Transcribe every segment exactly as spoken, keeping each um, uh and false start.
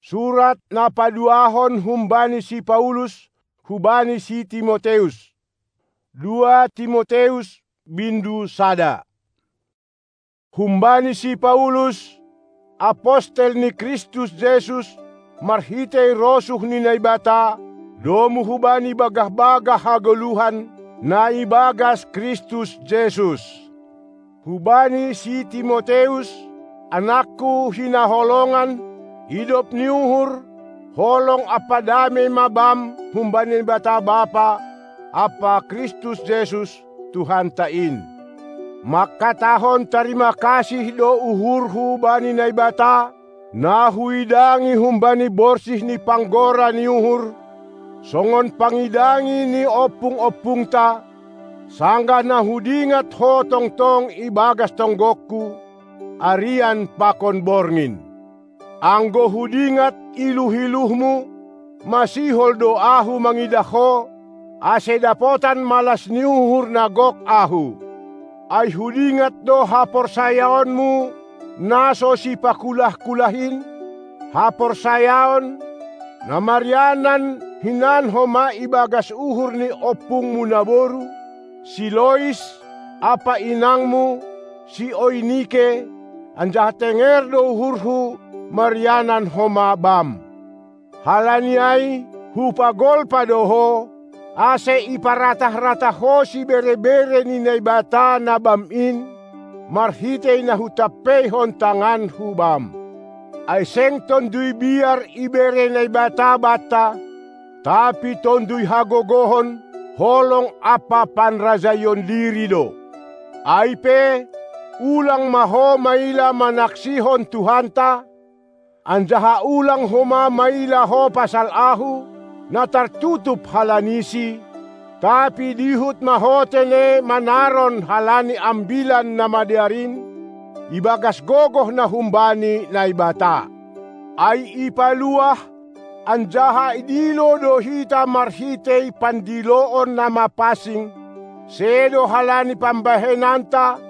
Surat na paduahon humbani si Paulus hubani si Timoteus. Dua Timoteus bindu sada. Humbani si Paulus, apostel ni Kristus Jesus, marhitei rosuh ni Naibata, domu hubani bagah-bagah hagoluhan na ibagas Kristus Jesus. Hubani si Timoteus, anakku hinaholongan, idop ni uhur, holong ampa damei ma bam humbani Naibata Bapa ampa Kristus Jesus, Tuhanta in. Mangkatahon tarima kasih do uhurhu bani Naibata, na huidangi humbani borsih ni panggora ni uhur, songon pangidangi ni ompung-ompungta, sanggah na hudingat ho tongtong ibagas tonggongku, arian pakon borngin. Anggo hudingat iluh-iluhmu, masihol do ahu mangidah ho, ase dapotan malas ni uhur na gok ahu. Ai hudingat do haporsayaonmu na so sipakulah-kulah in, haporsayaon na marianan hinan homa ibagas uhur ni ompungmu naboru, si Lois, ampa inangmu, si Oinike, anjaha tenger do uhurhu marianan homa bam. Halani ai hupagolpa do ho, ase iparatah-ratah ho sibere-bere ni Naibata na bam in, marhitei na hutampeihon tanganhu bam. Ai seng tonduy biar ibere Naibata banta, tapi tonduy hagogohon, holong ampa panrajaion diri do. Ai pe, ulang ma ho maila manaksihon Tuhanta, anjaha ulang homa maila ho pasal ahu, na tartutup halanisi, tapi dihut ma ho tene manaron halani Ambilan Namadear in, ibagas gogoh na humbani Naibata. Ai ipaluah, anjaha idilo do hita marhitei pandiloon na mapansing, sedo halani pambahenanta,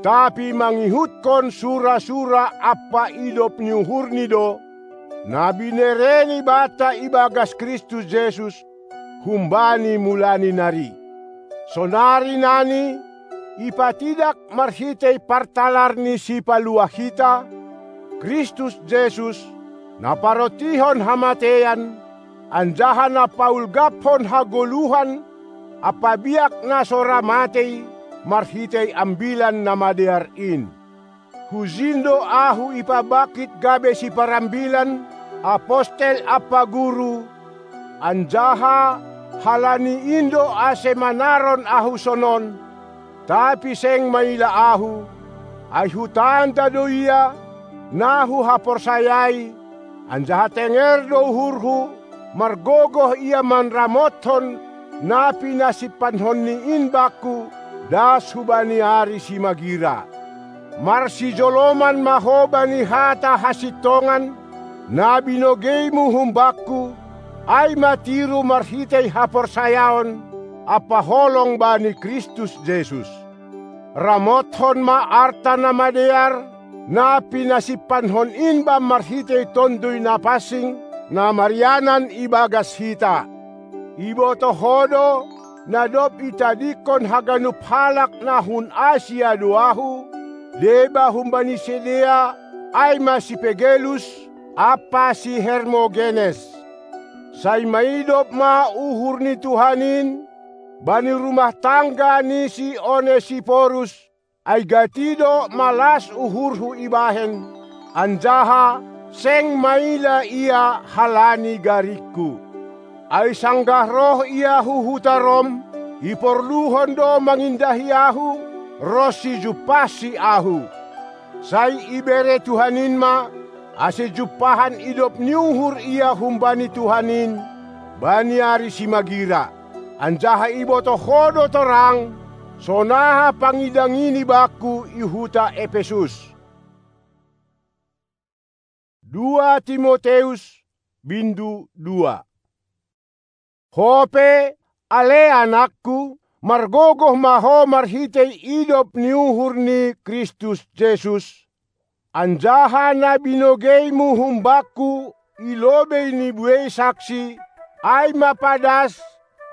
tapi mangihutkon sura-sura ampa idop ni uhurni do, na binereni banta ibagas Kristus Jesus, humbani mulani nari. Sonari nani, ipatidak marhitei partalar ni Sipaluah hita, Kristus Jesus, na parontihon hamateian, anjaha na paulgaphon hagoluhan, ampa biak na so ra matei, marhitei Ambilan Namadear in. Hujin do ahu ipabangkit gabe siparambilan, apostel ampa guru, anjaha halani in do ase manaron ahu sonon, tapi seng maila ahu, ai hutanda do ia, na huhaporsayai, anjaha tenger do uhurhu, margogoh ia manramothon na pinasimpanhonni in bangku, das hubani ari simagira. Marsijoloman ma ho bani hata hasintongan, na binogeimu humbangku, ai ma tiru marhitei haporsayaon, ampa holong bani Kristus Jesus. Ramothon ma arta na madear, na pinasimpanhon in bam marhitei Tonduy Napansing, na marianan ibagas hita. Ibotoh ho do, na dob itadingkon haganup halak na hun Asia do ahu, deba humbani sidea, ai ma si Pegelus, ampa si Hermogenes. Sai maidop ma uhur ni Tuhan in, bani rumah tangga ni si Onesiporus, ai gati do malas uhurhu ibahen, anjaha seng maila ia halani garingku. Ai sanggah roh ia hu huta Rom, iporluhon do mangindahi ahu, ronsi jumpahsi ahu. Sai ibere Tuhan in ma, ase jumpahan idop ni uhur ia humbani Tuhan in, bani ari simagira. Anjaha ibotoh ho do torang, sonaha pangidangini bangku i huta Epesus. Dua Timoteus, bindu dua. Ho pe, ale anakku, margogoh ma ho marhitei idop ni uhur ni Kristus Jesus, anjaha na binogeimu humbangku i lobei ni buei saksi, ai ma padas,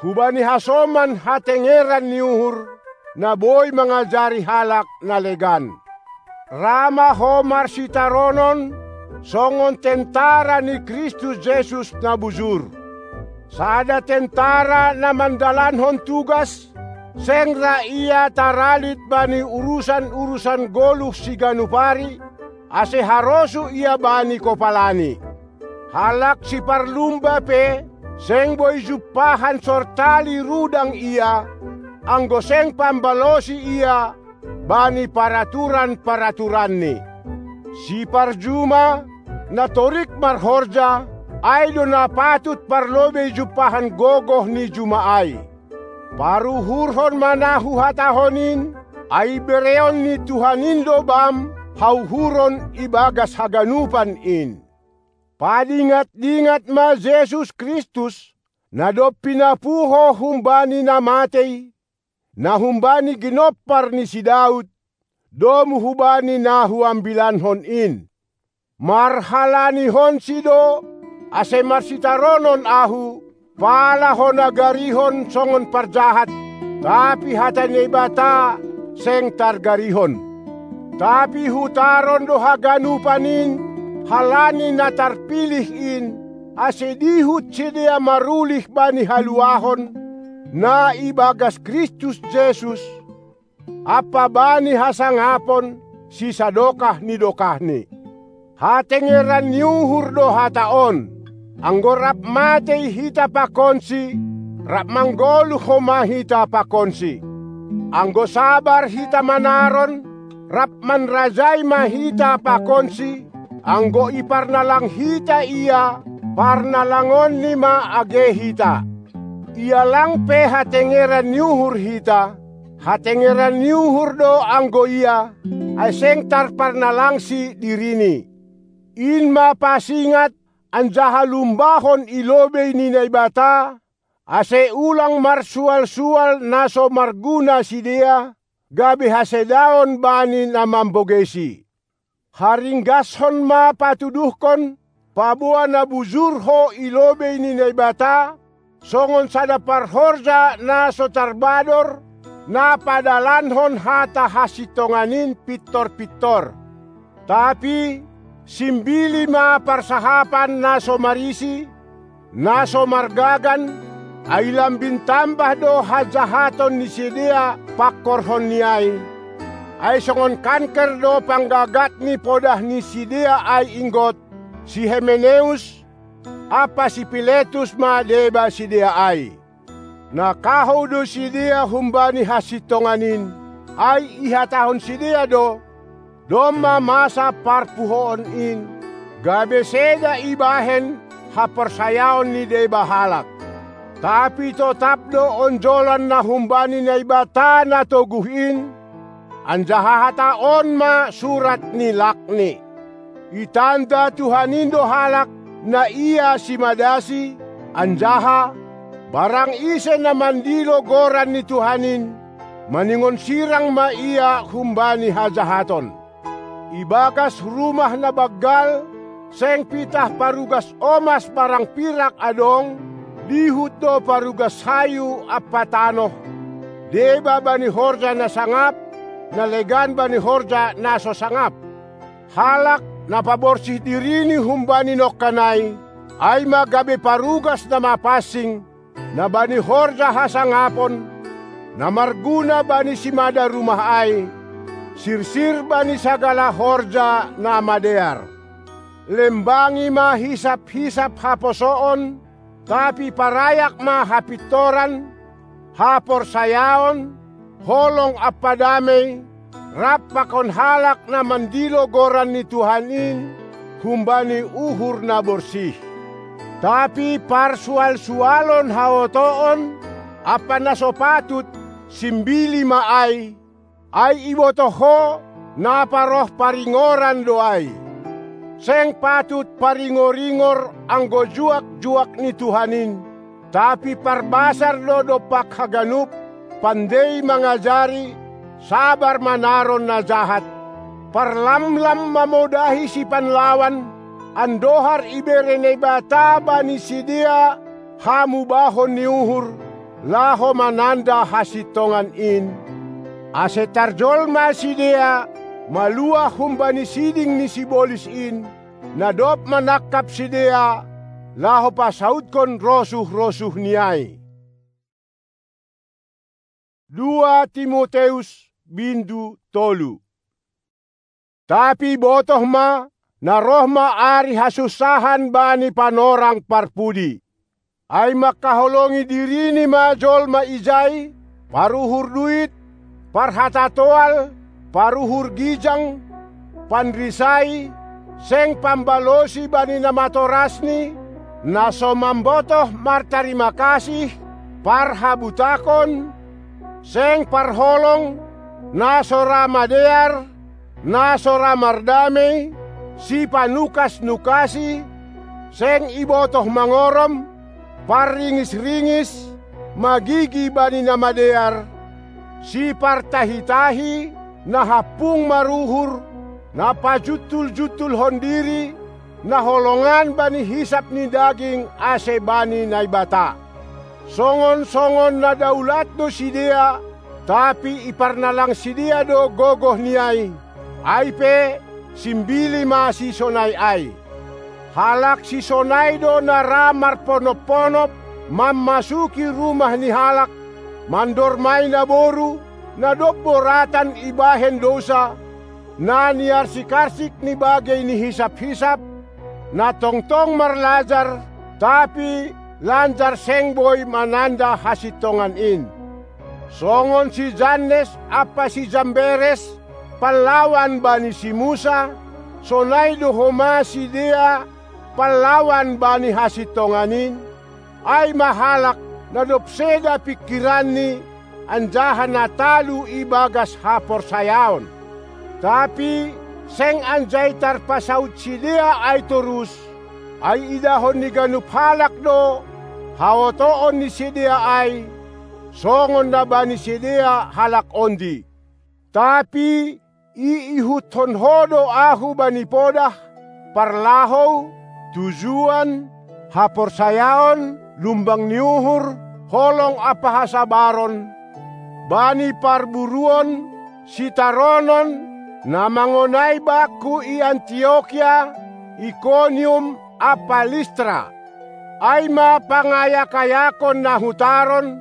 hubani hasoman hatengeran ni uhur, na boi mangajari halak na legan. Ra ma ho marsitaronon, songon tentara ni Kristus Jesus na bujur. Sada tentara na mandalankon tugas, seng ra ia taralit bani urusan-urusan goluh siganup ari, ase harosuh ia bani kopalani. Halak siparlumba pe, seng boi jumpahan sortali rudang ia, anggo seng pambalosi ia bani paraturan-paraturanni. Siparjuma, na torik marhorja, ai do na patut parlobei jumpahan gogoh ni juma ai. Paruhurhon ma na huhatahon in, ai bereon ni Tuhan in do bam hauhuron ibagas haganupan in. Padingat-dingat ma Jesus Kristus, na dob pinapuho humbani na matei, na humbani ginompar ni si Daud, domu hubani na huambilankon in. Marhalanihonsi do, ase marsitaronon ahu, pala ho nagarihon songon parjahat, tapi hata ni Naibata seng targarihon. Tapi hutaron do haganupan in, halani na tarpilih in, ase dihut sidea marulih bani haluahon, na ibagas Kristus Jesus, ampa bani hasangapon sisadokah ni dokahni. Hatengeran ni uhur do hata on. Anggo rap matei hita pakonsi, rap manggoluh homa hita pakonsi. Anggo sabar hita manaron, rap manrajai ma hita pakonsi. Anggo iparnalang hita ia, parnalangonni ma age hita. Ia lang pe hatengeran ni uhur hita, hatengeran ni uhur do anggo ia, ai seng tarparnalangsi dirini. In ma pasingat anjaha lumbahon i lobei ni Naibata, ase ulang marsual-sual na so marguna sidea, gabe hasedaon bani na mambogesi. Haringgashon ma patuduhkon, paboa na bujur ho i lobei ni Naibata, songon sada parhorja na so tarbador, na padalankon hata hasintongan in pintor-pintor. Tapi simbili ma parsahapan na so marisi, na so margagan, ai lambin tambah do hajahaton ni sidea pangkorhonni ai. Ai songon kanker do panggagat ni podah ni sidea ai inggot, si Himeneus ampa si Filetus ma deba sidea ai. Na kahou do sidea humbani hasintongan in, ai ihatahon sidea do, domma masa parpuhoon in, gabe seda ibahen haporsayaon ni deba halak. Tapi totap do onjolan na humbani Naibata na toguh in, anjaha hata on ma surat ni lakni. Itanda Tuhan in do halak na ia simadasi, anjaha barang ise na mandilo goran ni Tuhan in, maningon sirang ma ia humbani hajahaton. Ibagas rumah na banggal, seng pitah parugas omas barang pirak adong, dihut do parugas hayu ampa tanoh, deba bani horja na sangap, na legan bani horja na so sangap. Halak na paborsih dirini humbani nongkan ai, ai ma gabe parugas na mapansing, na bani horja hasangapon, na marguna bani simada rumah ai, sirsir bani sagala horja na madear. Lembangi ma hisap-hisap haposoon, tapi parayak ma hapintoran, haporsayaon, holong ampa damei, rap pakon halak na mandilo goran ni Tuhan in humbani uhur na borsih. Tapi parsual-sualon haotoon ampa na so patut, simbili ma ai, ai ibotoh ho, na paroh paringoran do ai. Seng patut paringor-ingor anggo juak-juak ni Tuhan in, tapi parbasar do dompak haganup, pandei mangajari, sabar manaron na jahat, parlamlam mamodahi sipanlawan, andohar ibere Naibata bani sidea hamubahon ni uhur, laho mananda hasintongan in, ase tarjolma sidea maluah humbani siding ni sibolis in, na dob manangkap sidea, laho pasautkon rosuh-rosuhni ai. Dua Timoteus bindu tolu. Tapi botoh ma, na roh ma ari hasunsahan bani panorang parpudi. Ai mangkaholongi dirini ma jolma ijai, paruhur duit, parhatatoal, paruhur gijang, panrisai, seng pambalosi bani na matorasni, na so mambotoh martarima kasih, parhabutakon, seng parholong, na so ra madear, na so ra mardamei, sipanukas-nukasi, seng ibotoh mangorom, parringis-ringis, magigi bani na madear, sipartahi-tahi, na hampung maruhur, na pajuntul-juntulhon diri, na holongan bani hisap ni daging ase bani Naibata. Songon-songon na daulat do sidea, tapi iparnalang sidea do gogohni ai, ai pe simbili ma sisonai ai. Halak sisonai do na ra marponop-ponop, mammasuki rumah ni halak, mandormai naboru, na dob boratan ibahen dousa, na niarsik-arsik ni bagei ni hisap-hisap, na tongtong marlajar, tapi lanjar seng boi mananda hasintongan in. Songon si Jannes ampa si Jamberes, pallawan bani si Musa, sonai do homa sidea pallawan bani hasintongan in, ai ma halak na dob seda pingkiranni, anjaha na talu ibagas haporsayaon. Tapi seng anjai tarpasaut sidea ai torus, ai idahon ni ganup halak do haotoon ni sidea ai, songon na bani sidea halak ondi. Tapi iihuthon ho do ahu bani podah, parlahou, tujuan, haporsayaon, lumbang ni uhur, holong ampa hasabaron, bani parburuon, sitaronon, na mangonai bakku i Antiokia, Ikonium ampa Listra. Ai ma pangayak-ayakon na hutaron,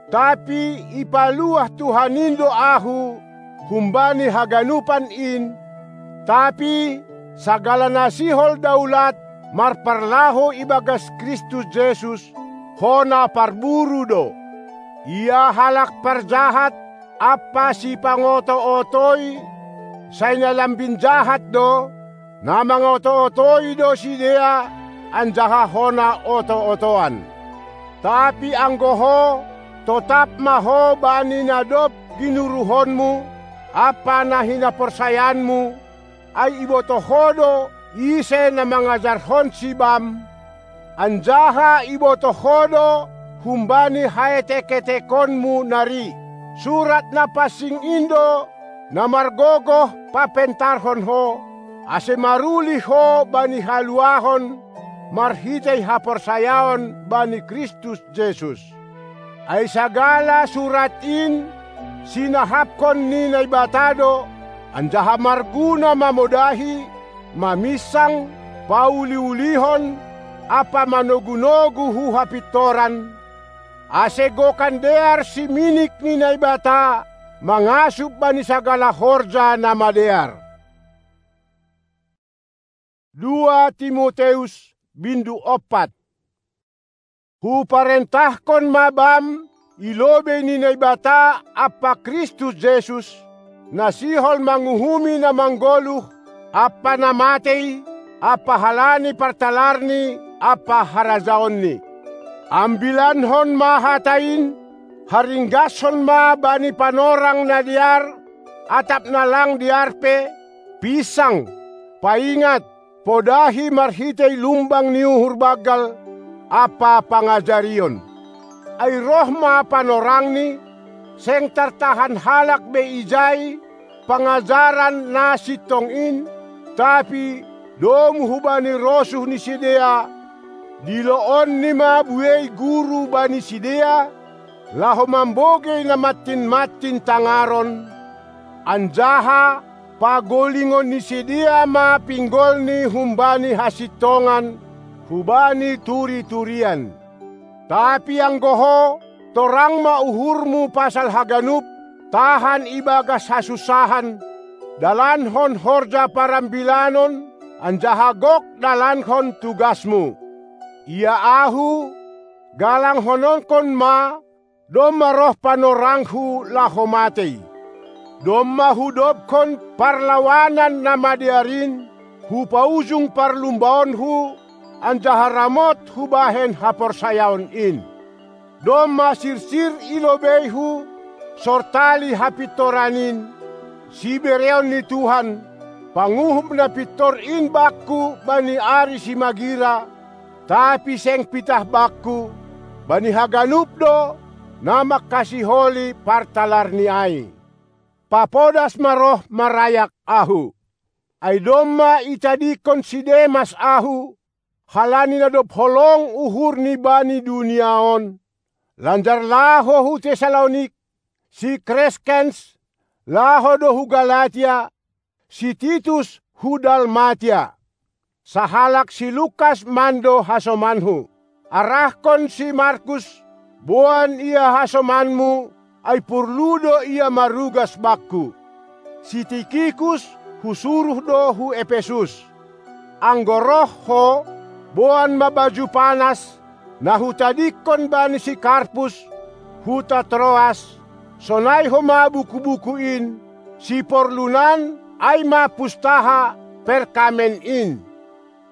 tapi ipaluah Tuhan in do ahu humbani haganupan in, tapi sagala na sihol daulat marparlahou ibagas Kristus Jesus, hona parburu do. Ia halak parjahat ampa sipangoto-otoi, sai na lambin jahat do, na mangoto-otoi do sidea, anjaha hona oto-otoan. Tapi anggo ho, totap ma ho bani na dob ginuruhonmu ampa na hinaporsayaanmu, ai ibotoh ho do ise na mangajarhonsi bam, anjaha ibotoh ho do humbani haetek-etekonmu nari. Surat na pansing in do na margogoh papentarhon ho, ase maruli ho bani haluahon marhitei haporsayaon bani Kristus Jesus. Ai sagala surat in sinahapkon ni Naibata do, anjaha marguna mamodahi, maminsang, pauli-ulihon, ampa manogu-nogu hu hapintoran, ase gokan dear siminik ni Naibata mangasup bani sagala horja na madear. Dua Timoteus bindu ompat. Huparentahkon ma bam i lobei ni Naibata ampa Kristus Jesus, na sihol manguhumi na manggoluh, ampa na matei, ampa halani partalarni ampa harajaonni. Ambilankon ma hata in, haringgashon ma bani panorang na dear, atap na lang dear pe, pinsang, paingat, podahi marhitei lumbang ni uhur banggal ampa pangajarion. Ai roh ma panorangni, seng tartahan halak be ijai pangajaran na sintong in, tapi domu hubani rosuh ni sidea, diloonni ma buei guru bani sidea, laho mambogei na mantinmantin tangaron, anjaha pagolingon ni sidea ma pinggolni humbani hasintongan hubani turi-turian. Tapi anggo ho, torang ma uhurmu pasal haganup, tahan ibagas hasunsahan, dalankon horja parambilanon, anjaha gok dalankon tugasmu. Ia ahu, galanghononkon ma, domma roh panorangku laho matei. Domma hudobkon parlawanan na madear in, hupaujung parlumbaonku, anjaha ramot hubahen haporsayaon in. Domma sirsir i lobeiku, sortali hapintoran in, sibereon ni Tuhan, panguhup na pintor in bakku bani ari simagira, tapi seng pitah bakku, bani haganup do, na mangkasiholi partalarni ai. Papodas ma roh marayak ahu. Ai domma itadingkon si Demas ahu, halani na dob holong uhurni bani dunia on, lanjar laho hu Tessalonik, si Kreskens, laho do hu Galatia, si Titus hu Dalmatia. Sahalak si Lukas mando hasomanku. Arahkon si Markus, boan ia hasomanmu, ai porlu do ia marugas bakku. Si Tikikus husuruh do hu Epesus. Anggo roh ho, boan ma baju panas, na hutadingkon bani si Karpus, huta Troas, sonai homa buku-buku in, siporlunan, ai ma pustaha perkamen in.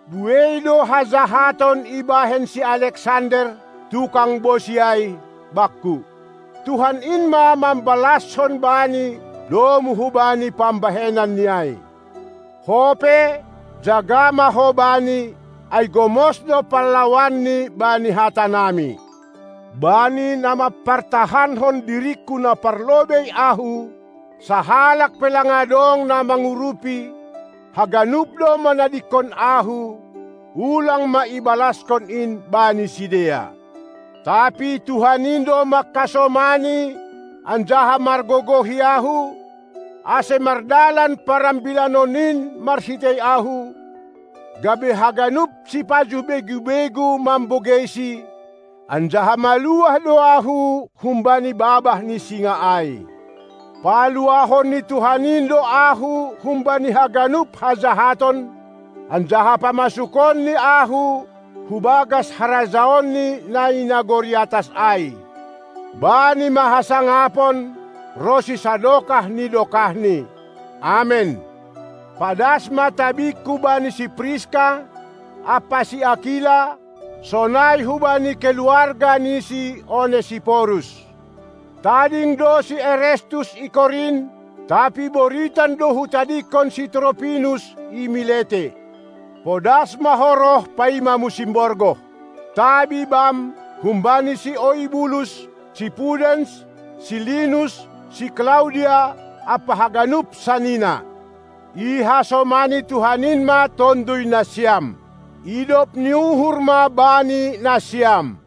Buei do hajahaton ibahen si Aleksander, tukang bosi ai, bakku. Tuhan in ma mambalashon bani, domu hubani pambahenanni ai. Ho pe, jaga ma ho bani, ai gomos do parlawanni bani hatanami. Bani na mampartahankon diringku na parlobei ahu, sahalak pe lang adong na mangurupi, haganup do manadingkon ahu, ulang ma ibalaskon in bani sidea. Tapi Tuhan in do mangkasomani, anjaha margogohi ahu, ase mardalan parambilanon in marhitei ahu, gabe haganup sipajuh begu-begu mambogeisi, anjaha maluah do ahu humbani babah ni singa ai. Paluahon ni Tuhan in do ahu humbani haganup hajahaton, anjaha pamasukonni ahu hu bagas harajaonni na i nagori atas ai. Bani ma hasangapon, ronsi sadokah ni dokahni. Amen. Padas ma tabingku bani si Priska, ampa si Akila, sonai hubani keluarga ni si Onesiporus. Tading do si Erestus i Korint, tapi boritan do hutadingkon si Tropinus i Milete. Podas ma ho roh paima musim borgoh. Tabi bam, humbani si Oibulus, si Pudens, si Linus, si Klaudia, ampa haganup sanina. Ihasomani Tuhan in ma tonduy nasiam. Idop ni uhur ma bani nasiam.